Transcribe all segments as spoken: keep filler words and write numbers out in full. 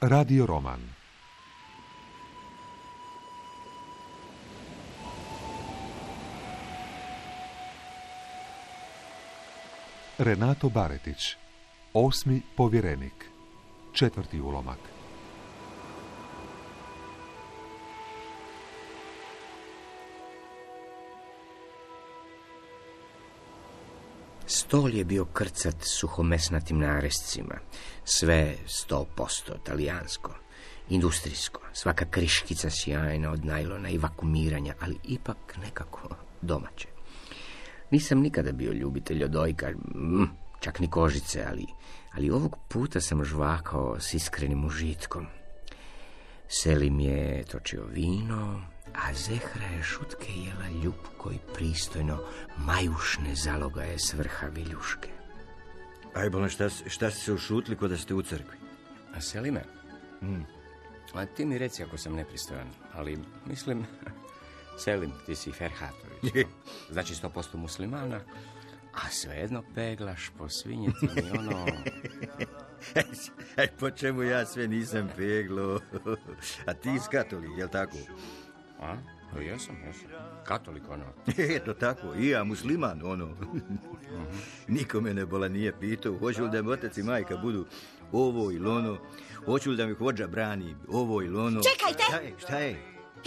Radio roman. Renato Baretić, Osmi povjerenik, četvrti ulomak. Stol je bio krcat suhomesnatim narescima, sve sto posto talijansko, industrijsko, svaka kriškica sjajna od najlona i vakumiranja, ali ipak nekako domaće. Nisam nikada bio ljubitelj odojka, čak ni kožice, ali, ali ovog puta sam žvakao s iskrenim užitkom. Selim je točio vino, a Zehra je šutke jela ljupko i pristojno majušne zalogaje s vrha viljuške. Aj, bolan, šta, šta ste se ušutili ko da ste u crkvi? A Selime? Mm. A ti mi reci ako sam nepristojan, ali mislim, Selim, ti si Ferhatović. Znači sto posto muslimana, a svejedno peglaš po svinjetini, ono... Aj, po čemu ja sve nisam peglo? A ti iz katolik, jel tako? A? To jesam, jesam. Katolik, ono. Eto tako, i ja musliman, ono. Mm-hmm. Nikome ne bola nije pitao, hoću li da mi otac i majka budu ovo ili ono, hoću li da mi hođa brani ovo ili ono. Čekajte! Šta je, šta je?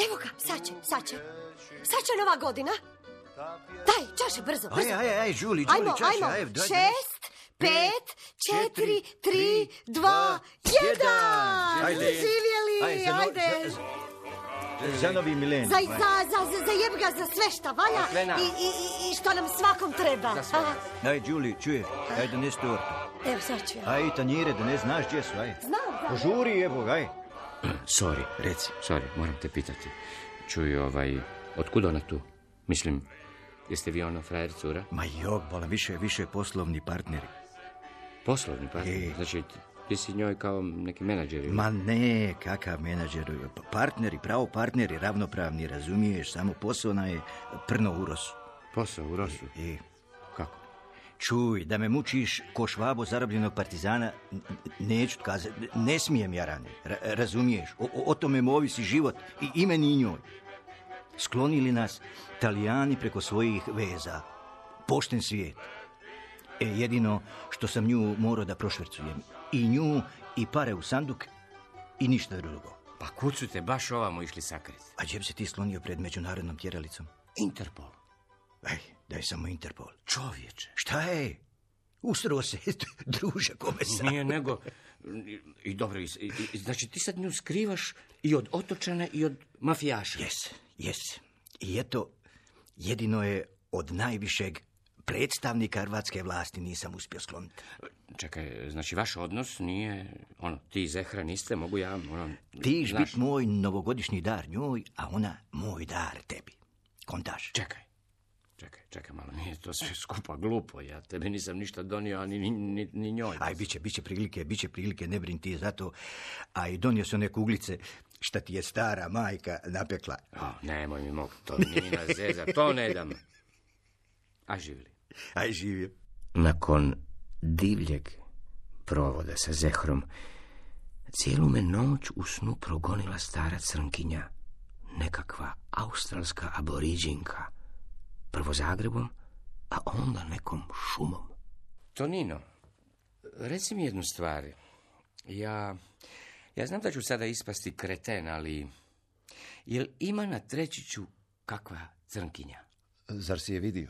Evo ga, sad će, sad će. Sad će nova godina. Daj, čaše, brzo, brzo. Aj, aj, aj, Žuli, Žuli, ajmo, čaše, ajmo. aj, daj, Šest, pet, četiri, tri, dva, jedan. Ajde. Živjeli, Ajde. Za, no, ajde. za, za novi milenij. Za, za, za, za, za jeb ga za sve šta valja i, i, i što nam svakom treba. Aj, Žuli, čuješ, aj dones tortu. Evo, sad ću ja. Aj, tanjire, dones, znaš gdje su, aj. Znam, da. Požuri, evo, aj. Sorry, Reci. Sorry, moram te pitati. Čuj, ovaj, otkud ona tu? Mislim, jeste vi ono frajer cura? Ma jok, bola, više, više poslovni partneri. Poslovni partneri? E. Znači, ti si njoj kao neki menadžer? Ma ne, kakav menadžer. Partneri, pravo partneri, ravnopravni, razumiješ, samo posao je prno u rosu. Posao u rosu? E. Kako? Čuj, da me mučiš ko Švabo zarobljenog partizana, n- neću kazati, ne smijem ja rane, ra- razumiješ, o, o tome mu ovisi život i ime ni njoj. Sklonili nas Talijani preko svojih veza, pošten svijet. E, jedino što sam nju morao da prošvercujem, i nju i pare u sanduk i ništa drugo. Pa kud su te baš ovamo išli sakriti? A gdje bi se ti slonio pred međunarodnom tjeralicom? Interpol. Aj, daj samo Interpol. Čovječe. Šta je? Ustro se, druže, kome sam? Nije nego... I, i dobro, i, i, znači ti sad nju skrivaš i od otočana i od mafijaša. Jes, jes. I eto, jedino je od najvišeg predstavnika hrvatske vlasti nisam uspio skloniti. Čekaj, znači vaš odnos nije, ono, ti i Zehra niste, mogu ja, ono... Ti znaš... bit moj novogodišnji dar njoj, a ona moj dar tebi. Kontaš? Čekaj, čekaj, čekaj malo, nije to sve skupa glupo, ja tebi nisam ništa donio, ni, ni, ni, ni njoj. Aj, bit će, bit će prilike, bit će prilike, ne brin ti zato. A i donio sam neke uglice šta ti je stara majka napekla. O, nemoj mi mogu, to nije na zeza, to ne dam. A živjeli? Aj, živio. Nakon divljeg provoda sa Zehrom, cijelu me noć u snu progonila stara crnkinja, nekakva australska aboriđinka, prvo Zagrebom, a onda nekom šumom. Tonino, reci mi jednu stvar. Ja, ja znam da ću sada ispasti kreten, ali jel ima na Trećiću kakva crnkinja? Zar si je vidio?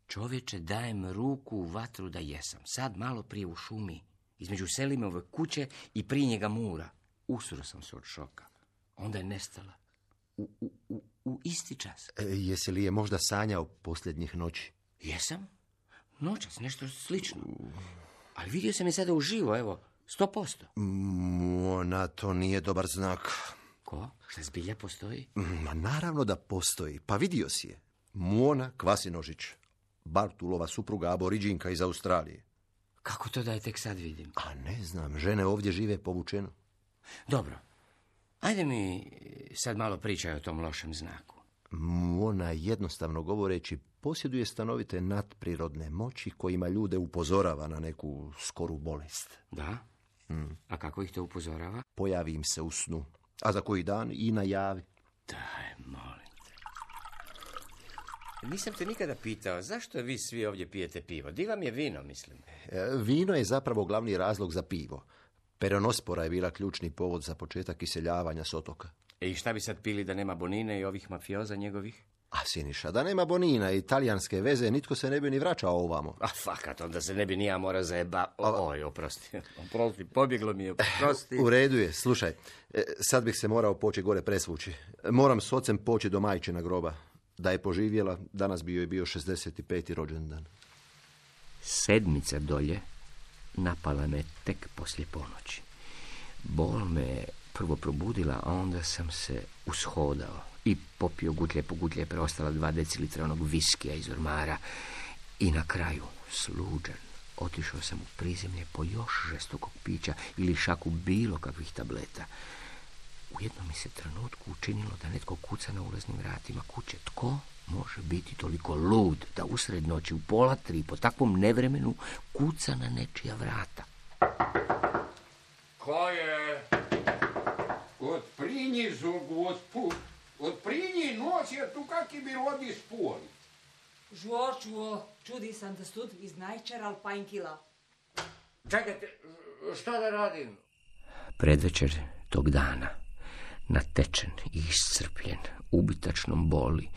Čovječe, dajem ruku u vatru da jesam. Sad malo prije u šumi, između Selimove kuće i prije njega mura. Usro sam se od šoka. Onda je nestala. U, u, u, u isti čas. E, jesi li je možda sanjao posljednjih noći? Jesam? Noćas, nešto slično. Ali vidio sam je sada uživo, evo, sto posto. Ona, to nije dobar znak. Ko? Šta zbilja postoji? Ma naravno da postoji. Pa vidio si je. Mona Kvasinožić, Bartulova supruga aboriđinka iz Australije. Kako to da je tek sad vidim? A ne znam, žene ovdje žive povučeno. Dobro, ajde mi sad malo pričaj o tom lošem znaku. Mona, jednostavno govoreći, posjeduje stanovite nadprirodne moći kojima ljude upozorava na neku skoru bolest. Da? Mm. A kako ih to upozorava? Pojavim se u snu, a za koji dan i najavi. Daj, molim te. Nisam te nikada pitao, zašto vi svi ovdje pijete pivo? Di vam je vino, mislim? E, vino je zapravo glavni razlog za pivo. Peronospora je bila ključni povod za početak iseljavanja s otoka. I šta bi sad pili da nema Bonine i ovih mafioza njegovih? A Siniša, da nema Bonina i talijanske veze, nitko se ne bi ni vraćao ovamo. A fakat, onda se ne bi ni ja morao zajeba... Oj, oprosti, oprosti, pobjeglo mi je, oprosti. U redu je, slušaj, e, sad bih se morao poći gore presvući. Moram s ocem poći do majčina groba. Da je poživjela, danas bi joj bio šezdeset peti rođendan. Sedmica dolje napala me tek poslije ponoći. Bol me prvo probudila, a onda sam se ushodao i popio gutlje po gutlje preostala dva decilitra onog viskija iz ormara i na kraju, sluđen, otišao sam u prizemlje po još žestokog pića ili šaku bilo kakvih tableta. U jednom mi se trenutku učinilo da netko kuca na ulaznim vratima kuće. Tko može biti toliko lud da usred noći u pola tri po takvom nevremenu kuca na nečija vrata? Ko je? Отприни, Господь, отприни, нося tu kaki bi rodi spoli. Žuo, čuo, čudi sam da stud iz najčeral pajnkila. Čekajte, šta da radim? Predvečer tog dana, natečen i iscrpljen, ubitačnom boli,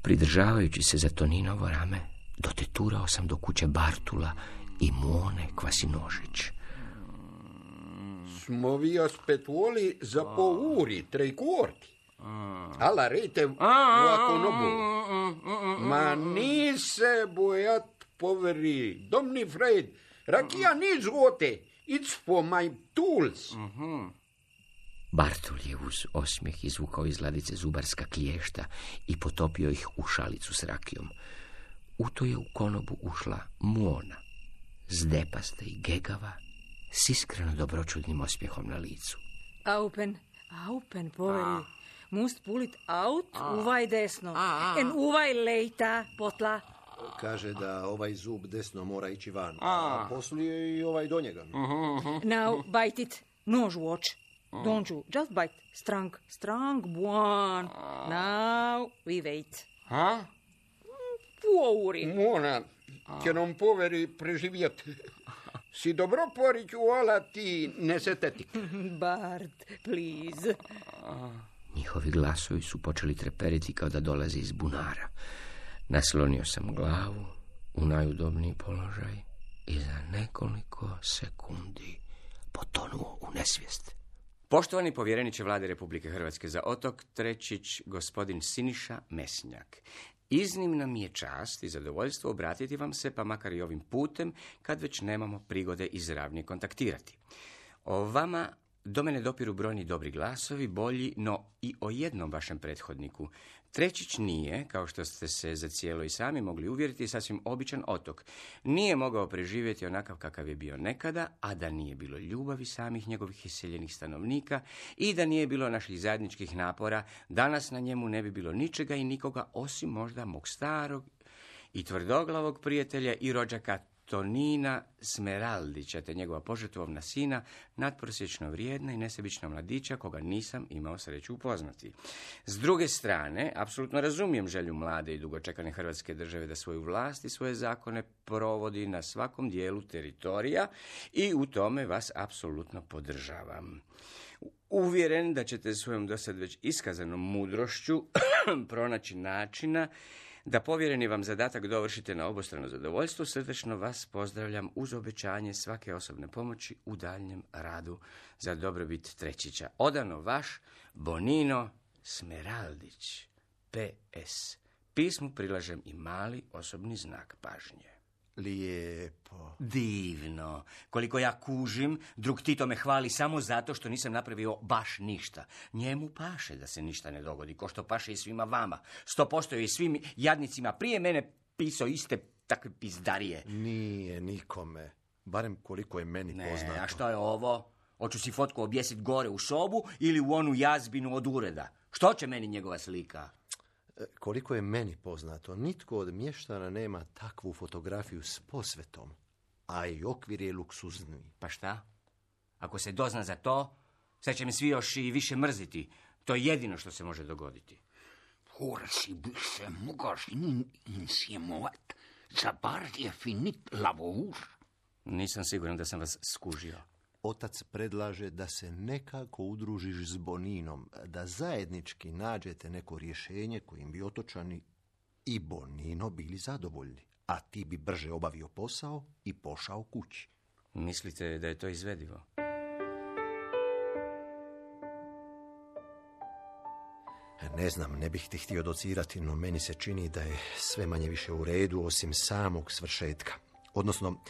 pridržavajući se za Toninovo rame, doteturao sam do kuće Bartula i Muone Kvasinožić. Smo vi aspetuoli za po uri, tre quarti. Alla rete ovako nobu. Ma ni se bojat, poveri, domni Fred, rakija ni zgote, it's for my tools. Bartul je uz osmijeh izvukao iz ladice zubarska kliješta i potopio ih u šalicu s rakijom. U to je u konobu ušla Muona, zdepasta i gegava, s iskreno dobročudnim osmijehom na licu. Aupen, aupen, poveri. Must pulit aut, uvaj desno. En uvaj lejta, potla. Kaže da ovaj zub desno mora ići van, a poslije i ovaj do njega. Now, bite it. No watch. Don't you? Just bite. Strong, strong, one. Now, we wait. Ha? Puori. Mona, che non poveri preživjet. Si dobro poriću, ala ti nesetetik. Bart, please. Njihovi glasovi su počeli treperiti kao da dolaze iz bunara. Naslonio sam glavu u najudobniji položaj i za nekoliko sekundi potonuo u nesvijest. Poštovani povjereniče Vlade Republike Hrvatske za otok Trećić, gospodin Siniša Mesnjak. Iznimna mi je čast i zadovoljstvo obratiti vam se, pa makar i ovim putem, kad već nemamo prigode izravnije kontaktirati. O vama do mene dopiru brojni dobri glasovi, bolji, no i o jednom vašem prethodniku. Trećić nije, kao što ste se za cijelo i sami mogli uvjeriti, sasvim običan otok. Nije mogao preživjeti onakav kakav je bio nekada, a da nije bilo ljubavi samih njegovih iseljenih stanovnika i da nije bilo naših zajedničkih napora, danas na njemu ne bi bilo ničega i nikoga osim možda mog starog i tvrdoglavog prijatelja i rođaka Tonina Smeraldića, te njegova požrtvovna sina, nadprosječno vrijedna i nesebična mladića, koga nisam imao sreću upoznati. S druge strane, apsolutno razumijem želju mlade i dugočekane Hrvatske države da svoju vlast i svoje zakone provodi na svakom dijelu teritorija i u tome vas apsolutno podržavam. Uvjeren da ćete svojom dosad već iskazanom mudrošću pronaći načina da povjereni vam zadatak dovršite na obostrano zadovoljstvo, srdečno vas pozdravljam uz obećanje svake osobne pomoći u daljnjem radu za dobrobit Trećića. Odano vaš Bonino Smeraldić. P S. Pismu prilažem i mali osobni znak pažnje. Lijepo. Divno. Koliko ja kužim, drug Tito me hvali samo zato što nisam napravio baš ništa. Njemu paše da se ništa ne dogodi, ko što paše i svima vama. Sto posto je i svim jadnicima prije mene pisao iste takve pizdarije. Nije nikome. Barem koliko je meni Ne, poznato. a što je ovo? Hoću si fotku objesit gore u sobu ili u onu jazbinu od ureda? Što će meni njegova slika? Koliko je meni poznato, nitko od mještana nema takvu fotografiju s posvetom, a i okvir je luksuzni. Pa šta? Ako se dozna za to, sad će me svi još i više mrziti. To je jedino što se može dogoditi. Forse bi se mogaš in insiemovat za bar je finit lavur. Nisam siguran da sam vas skužio. Otac predlaže da se nekako udružiš s Boninom, da zajednički nađete neko rješenje kojim bi otočani i Bonino bili zadovoljni, a ti bi brže obavio posao i pošao kući. Mislite da je to izvedivo? Ne znam, ne bih ti htio docirati, no meni se čini da je sve manje više u redu osim samog svršetka. Odnosno,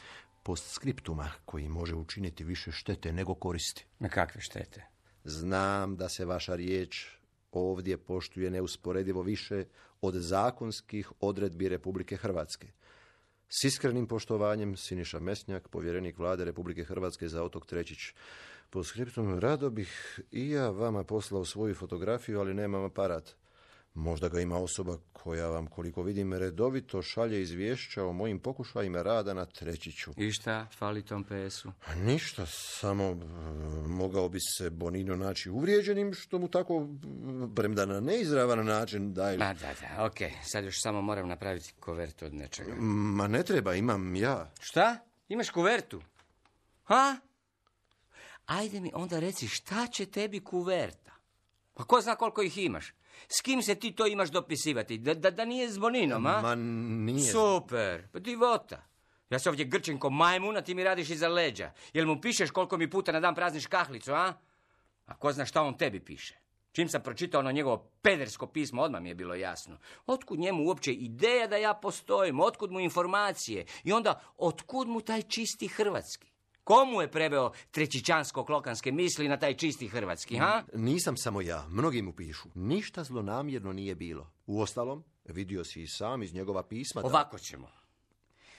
postskriptuma koji može učiniti više štete nego koristi. Na kakve štete? Znam da se vaša riječ ovdje poštuje neusporedivo više od zakonskih odredbi Republike Hrvatske. S iskrenim poštovanjem, Siniša Mesnjak, povjerenik Vlade Republike Hrvatske za otok Trećić. Po skriptum, rado bih i ja vama poslao svoju fotografiju, ali nemam aparat. Možda ga ima osoba koja vam, koliko vidim, redovito šalje izvješća o mojim pokušajima rada na Trećiću. I šta fali tom P S-u? Ništa, samo e, mogao bi se Bonino naći uvrijeđenim, što mu tako, premda na neizravan način daje. Ma da, da, okej. Okay. Sad još samo moram napraviti kovertu od nečega. Ma ne treba, imam ja. Šta? Imaš kuvertu? Ha? Ajde mi onda reci, šta će tebi kuverta? Pa ko zna koliko ih imaš? S kim se ti to imaš dopisivati? Da, da, da nije s Boninom, a? Ma nije. Super, pa divota. Ja se ovdje grčim ko majmun, a ti mi radiš iza leđa. Jel mu pišeš koliko mi puta na dan prazniš kahlicu, a? A ko zna šta on tebi piše? Čim sam pročitao ono njegovo pedersko pismo, odmah mi je bilo jasno. Otkud njemu uopće ideja da ja postojim? Otkud mu informacije? I onda, otkud mu taj čisti hrvatski? Komu je preveo trećićansko-klokanske misli na taj čisti hrvatski, ha? Nisam samo ja, mnogi mu pišu. Ništa zlonamjerno nije bilo. Uostalom, vidio si i sam iz njegova pisma da... Ovako ćemo.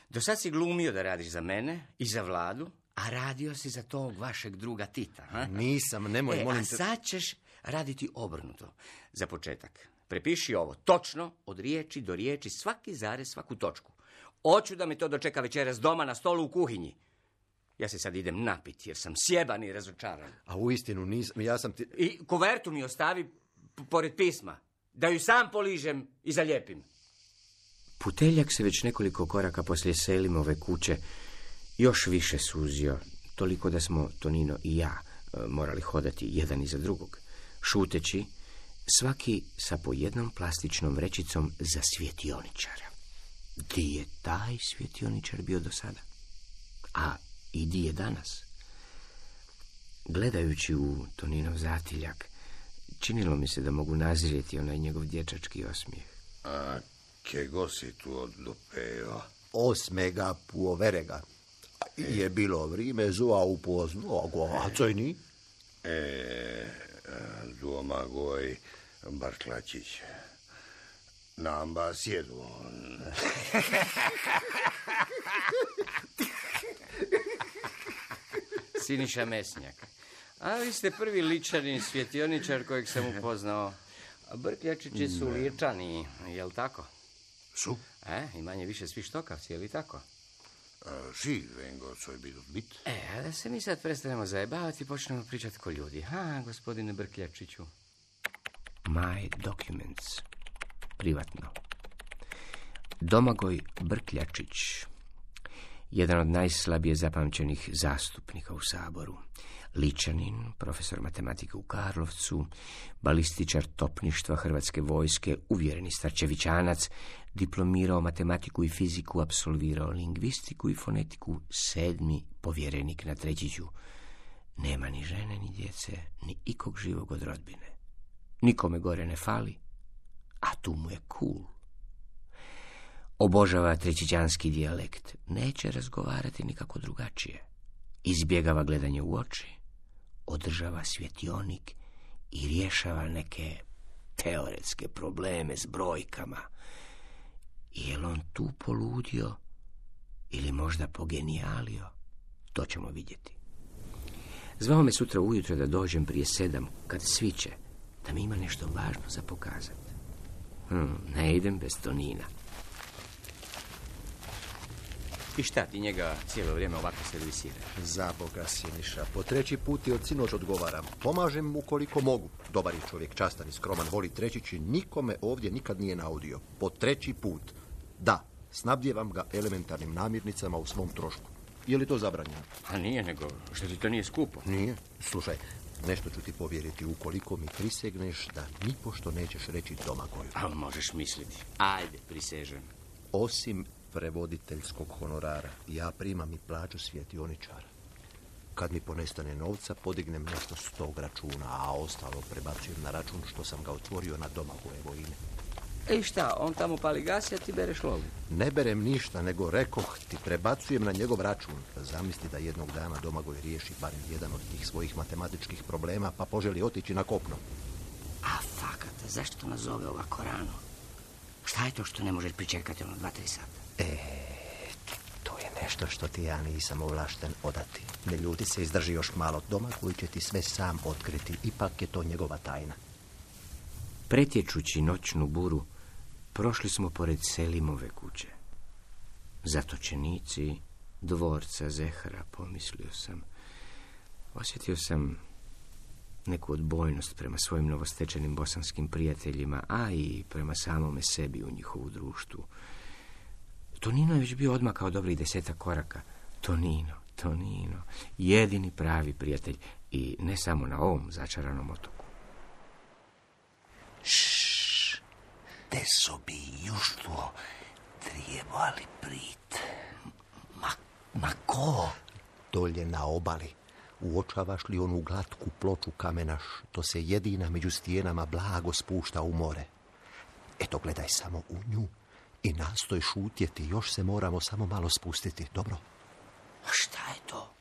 Do sad si glumio da radiš za mene i za Vladu, a radio si za tog vašeg druga Tita, ha? Nisam, nemoj, e, molim a te... sad ćeš raditi obrnuto. Za početak, prepiši ovo točno, od riječi do riječi, svaki zarez, svaku točku. Hoću da me to dočeka večeras doma na stolu u kuhinji. Ja se sad idem napiti jer sam sjeban i razočaran. A uistinu nisam, ja sam ti... I kuvertu mi ostavi p- pored pisma, da ju sam poližem i zalijepim. Puteljak se već nekoliko koraka poslije Selimove kuće još više suzio, toliko da smo, Tonino i ja, morali hodati jedan iza drugog, šuteći, svaki sa po jednom plastičnom vrećicom za svjetioničara. Di je taj svjetioničar bio do sada? A i di je danas? Gledajući u Toninov zatiljak, činilo mi se da mogu nazrijeti onaj njegov dječački osmijeh. A čego si tu odlupeo? Osmega puoverega. Je bilo vrijeme zua upoznogo, a co ni? E, domagoj Barklačić. Namba sjedu on. Siniša Mesnjak. A vi ste prvi ličani svjetioničar kojeg sam upoznao. Brkljačići su ličani, jel tako? Su? E, i manje više svi štokavci, je li tako? Si, vengo, co je bilo bit. E, a da se mi sad prestanemo zajebavati i počnemo pričati ko ljudi. Ha, gospodine Brkljačiću. My documents. Privatno. Domagoj Brkljačić. Jedan od najslabije zapamćenih zastupnika u Saboru. Ličanin, profesor matematike u Karlovcu, balističar topništva Hrvatske vojske, uvjereni starčevićanac, diplomirao matematiku i fiziku, apsolvirao lingvistiku i fonetiku, sedmi povjerenik na Trećiću. Nema ni žene, ni djece, ni ikog živog od rodbine. Nikome gore ne fali, a tu mu je cool. Obožava trećićanski dijalekt, neće razgovarati nikako drugačije. Izbjegava gledanje u oči, održava svjetionik i rješava neke teoretske probleme s brojkama. Je li on tu poludio ili možda pogenijalio? To ćemo vidjeti. Zvao me sutra ujutro da dođem prije sedam, kad sviće, da mi ima nešto važno za pokazati. Hmm, ne idem bez Tonina. I šta ti njega cijelo vrijeme ovako servisiraš? Za Boga, Siniša, po treći put i od sinoć odgovaram. Pomažem mu koliko mogu. Dobar je čovjek, častan i skroman, voli trećići, nikome ovdje nikad nije naudio. Po treći put. Da, snabdjevam ga elementarnim namirnicama u svom trošku. Je li to zabranjeno? A nije, nego što ti to nije skupo. Nije. Slušaj, nešto ću ti povjeriti ukoliko mi prisegneš da nipošto nećeš reći Domagoju. Ali možeš misliti. Ajde, prisežem. Osim prevoditeljskog honorara, ja primam i plaću svjetioničara. Kad mi ponestane novca, podignem nešto s tog računa, a ostalo prebacujem na račun što sam ga otvorio na Domagojevo ime. E šta, on tamo pali gas, a ti bereš lovu? Ne berem ništa, nego rekoh ti prebacujem na njegov račun. Zamisli da jednog dana Domagoj riješi barem jedan od tih svojih matematičkih problema, pa poželi otići na kopno. A fakat, zašto to nazove ovako rano? Šta je to što ne možeš pričekati ono dva, tri sata? E, to je nešto što ti ja nisam ovlašten odati. Ne ljuti se, izdrži još malo. Domagoj će ti sve sam otkriti. Ipak je to njegova tajna. Pretječući noćnu buru, prošli smo pored Selimove kuće. Zatočenici dvorca Zehra, pomislio sam. Osjetio sam neku odbojnost prema svojim novostečenim bosanskim prijateljima, a i prema samome sebi u njihovu društvu. Tonino je već bio odmakao dobrih desetak koraka. Tonino, Tonino, jedini pravi prijatelj i ne samo na ovom začaranom otoku. Ššš, te sobi juštvo trebali prit. Ma, ma ko? Dolje na obali. Uočavaš li onu glatku ploču kamena što se jedina među stijenama blago spušta u more? Eto, gledaj samo u nju i nastoj šutjeti, još se moramo samo malo spustiti, dobro? A šta je to?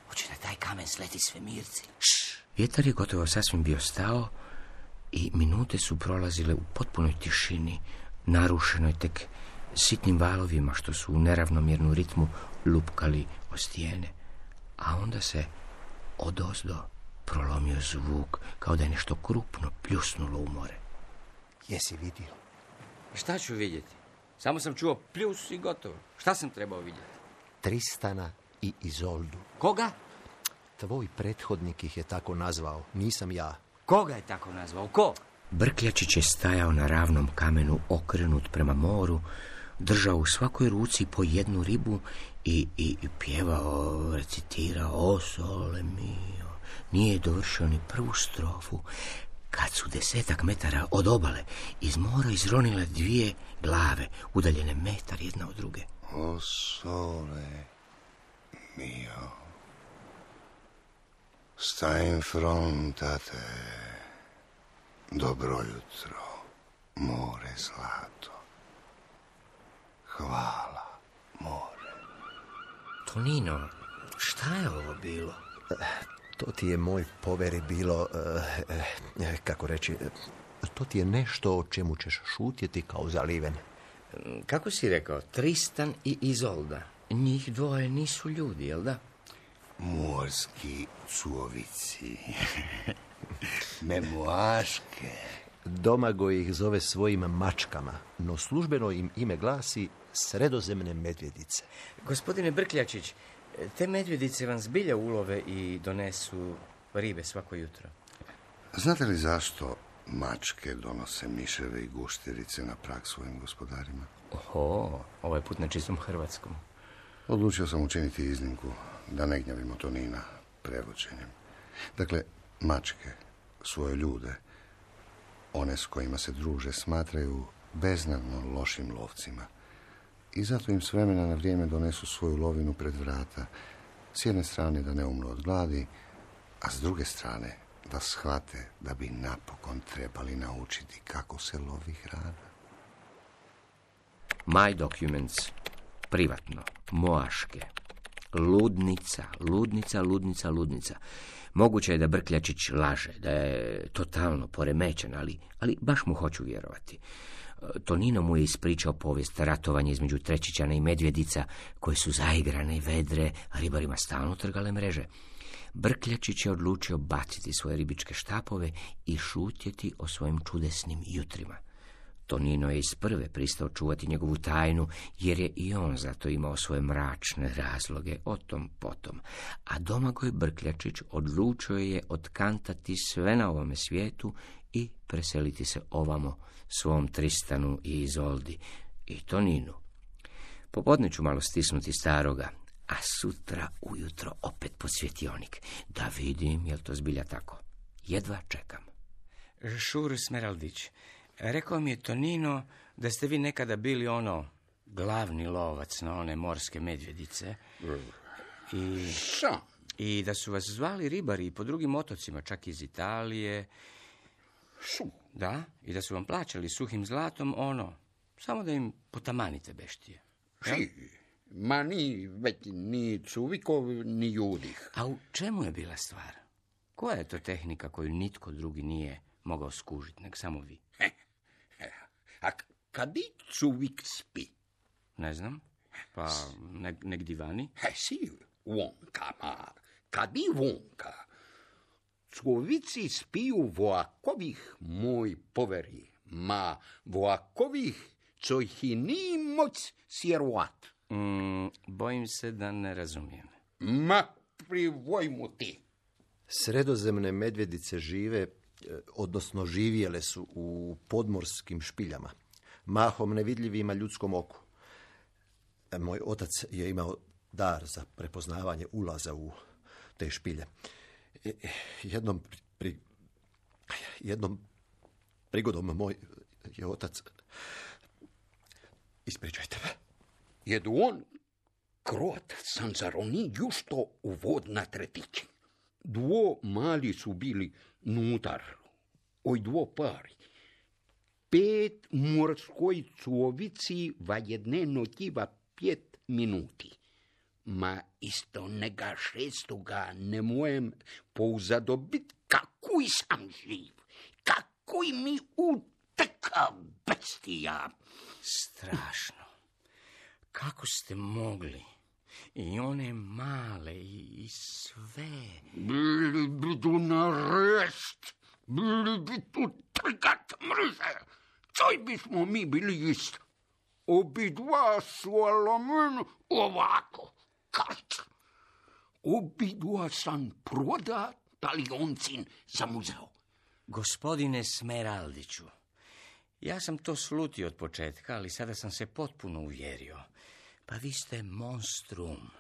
Hoće na taj kamen sleti svemirci? Šš. Vjetar je gotovo sasvim bio stao i minute su prolazile u potpunoj tišini, narušenoj tek sitnim valovima što su u neravnomjernu ritmu lupkali o stijene. A onda se odozdo prolomio zvuk, kao da je nešto krupno pljusnulo u more. Jesi vidio? Šta ću vidjeti? Samo sam čuo pljus i gotovo. Šta sam trebao vidjeti? Tristana i Izoldu. Koga? Tvoj prethodnik ih je tako nazvao, nisam ja. Koga je tako nazvao? Ko? Brkljačić je stajao na ravnom kamenu, okrenut prema moru, držao u svakoj ruci po jednu ribu i, i, i pjevao, recitirao O sole mio. Nije dovršio ni prvu strofu, kad su desetak metara od obale iz mora izronile dvije glave, udaljene metar jedna od druge. O sole mio, sta in fronte a te, dobro jutro, more zlato. Hvala, more. Tonino, šta je ovo bilo? To ti je, moj poveri, bilo, eh, eh, kako reći, to ti je nešto o čemu ćeš šutjeti kao zaliven. Kako si rekao, Tristan i Izolda. Njih dvoje nisu ljudi, jel da? Morski cuovici. Memoaške. Domagoj ih zove svojim mačkama, no službeno im ime glasi sredozemne medvjedice. Gospodine Brkljačić, te medvjedice vam zbilja ulove i donesu ribe svako jutro. Znate li zašto mačke donose miševe i gušterice na prag svojim gospodarima? Oho, ovaj put na čistom hrvatskom. Odlučio sam učiniti iznimku da ne gnjavimo Tonina prevođenjem. Dakle, mačke svoje ljude, one s kojima se druže, smatraju beznadno lošim lovcima. I zato im s vremena na vrijeme donesu svoju lovinu pred vrata. S jedne strane da ne umru od gladi, a s druge strane da shvate da bi napokon trebali naučiti kako se lovi hrana. My documents, privatno, Moaške, ludnica, ludnica, ludnica, ludnica. Moguće je da Brkljačić laže, da je totalno poremećen, ali, ali baš mu hoću vjerovati. Tonino mu je ispričao povijest ratovanja između Trećićana i medvjedica, koje su zaigrane i vedre, a ribarima stalno trgale mreže. Brkljačić je odlučio baciti svoje ribičke štapove i šutjeti o svojim čudesnim jutrima. Tonino je iz prve pristao čuvati njegovu tajnu, jer je i on zato imao svoje mračne razloge, o tom potom. A Domagoj Brkljačić odlučio je otkantati sve na ovome svijetu i preseliti se ovamo svom Tristanu i Izoldi i Toninu. Popodne ću malo stisnuti staroga, a sutra ujutro opet pod svjetionik, da vidim jel to zbilja tako. Jedva čekam. Šur Smeraldić, rekao mi je Tonino da ste vi nekada bili ono glavni lovac na one morske medvjedice i, i da su vas zvali ribari i po drugim otocima, čak iz Italije. Su. Da, i da su vam plaćali suhim zlatom ono, samo da im potamanite beštije. Si, ma ni, već ni cuvikov, ni judih. A u čemu je bila stvar? Koja je to tehnika koju nitko drugi nije mogao skužiti, nek samo vi? He, he. A kadi cuvik spi? Ne znam, pa ne, negdje vani? He, si, vonka, ma, kadi vonka? Cuvici spiju voakovih, moj poveri, ma voakovih, co ih i ni moć sjeruat. Mm, bojim se da ne razumijem. Ma, privoj mu ti. Sredozemne medvjedice žive, odnosno živjele su u podmorskim špiljama, mahom nevidljivima ljudskom oku. Moj otac je imao dar za prepoznavanje ulaza u te špilje. Jednom, pri, jednom prigodom moj je otac... Ispričajte me. Jedu on krot sanzaroni jušto u vod na tretići. Dvo mali su bili nutar, oj dvo pari. Pet morskoj cuovici va jedne notiva pet minuti. Ma isto nega šestoga ne mojem pouzadobit kakuj sam živ, kakuj mi uteka bestija. Strašno. Kako ste mogli? I one male i, i sve. Bili bi tu na rest, bili bi tu trikat mrže. Čoj bismo mi bili ist. Obidva su alomen ovako, karč. Obidva sam proda talioncin za muzeo. Gospodine Smeraldiću, ja sam to slutio od početka, ali sada sam se potpuno uvjerio. Pa vi ste monstrum.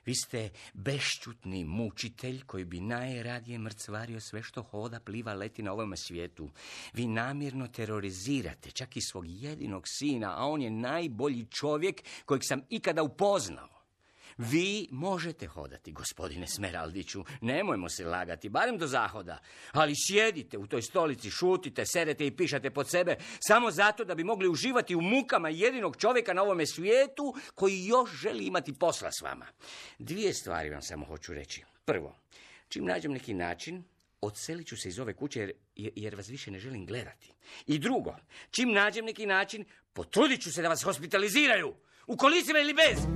Vi ste bešćutni mučitelj koji bi najradije mrcvario sve što hoda, pliva, leti na ovome svijetu. Vi namjerno terorizirate čak i svog jedinog sina, a on je najbolji čovjek kojeg sam ikada upoznao. Vi možete hodati, gospodine Smeraldiću, nemojmo se lagati, barem do zahoda, ali sjedite u toj stolici, šutite, serete i pišate pod sebe, samo zato da bi mogli uživati u mukama jedinog čovjeka na ovome svijetu koji još želi imati posla s vama. Dvije stvari vam samo hoću reći. Prvo, čim nađem neki način, odselit ću se iz ove kuće jer, jer vas više ne želim gledati. I drugo, čim nađem neki način, potrudit ću se da vas hospitaliziraju, u kolicima ili bez.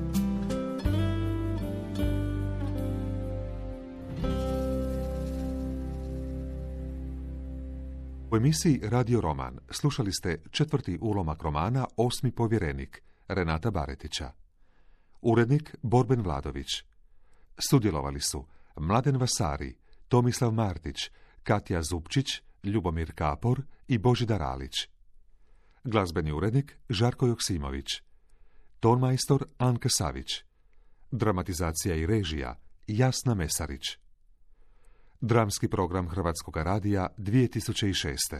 U emisiji Radio Roman slušali ste četvrti ulomak romana Osmi povjerenik Renata Baretića. Urednik Borben Vladović. Sudjelovali su Mladen Vasari, Tomislav Martić, Katja Zupčić, Ljubomir Kapor i Božidar Alić. Glazbeni urednik Žarko Joksimović. Tonmajstor Anka Savić. Dramatizacija i režija Jasna Mesarić. Dramski program Hrvatskog radija dvije tisuće šest.